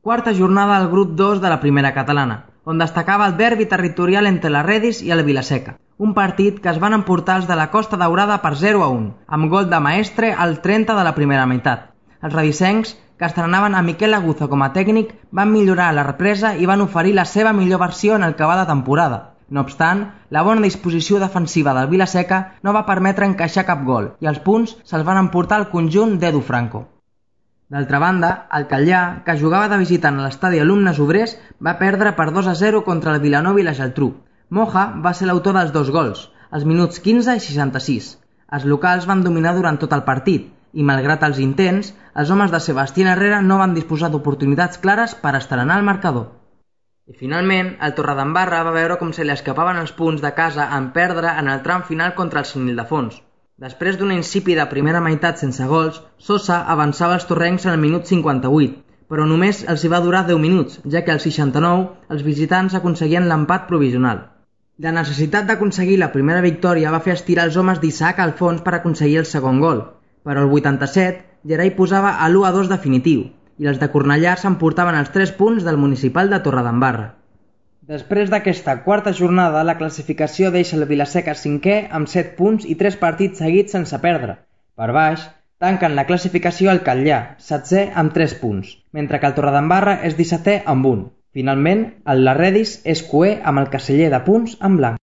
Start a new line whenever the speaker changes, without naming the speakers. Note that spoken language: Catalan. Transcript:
Quarta jornada del grup 2 de la primera catalana, on destacava el derbi territorial entre la Redis i el Vilaseca, un partit que es van emportar els de la Costa Daurada per 0-1, amb gol de Maestre al 30 de la primera meitat. Els redisencs, que estrenaven a Miquel Aguzo com a tècnic, van millorar la represa i van oferir la seva millor versió en el que va de temporada. No obstant, la bona disposició defensiva del Vilaseca no va permetre encaixar cap gol i els punts se'ls van emportar al conjunt d'Edu Franco. D'altra banda, el Catllà, que jugava de visitant a l'estadi Alumnes Obrers, va perdre per 2-0 contra el Vilanova i la Geltrú. Moja va ser l'autor dels dos gols, als minuts 15 i 66. Els locals van dominar durant tot el partit i, malgrat els intents, els homes de Sebastián Herrera no van disposar d'oportunitats clares per estrenar el marcador. I finalment, el Torredembarra va veure com se li escapaven els punts de casa en perdre en el tram final contra el Sant Ildefons. Després d'una insípida primera meitat sense gols, Sosa avançava els torrencs en el minut 58, però només els hi va durar 10 minuts, ja que al 69 els visitants aconseguien l'empat provisional. La necessitat d'aconseguir la primera victòria va fer estirar els homes d'Isaac Alfons per aconseguir el segon gol, però al 87 Gerai posava a l'1-2 definitiu, i els de Cornellà s'emportaven els 3 punts del municipal de Torredembarra. Després d'aquesta quarta jornada, la classificació deixa el Vilaseca 5è amb 7 punts i 3 partits seguits sense perdre. Per baix, tanquen la classificació el Catllà, 7è amb 3 punts, mentre que el Torredembarra és 17è amb 1. Finalment, el Larredis és coer amb el caseller de punts en blanc.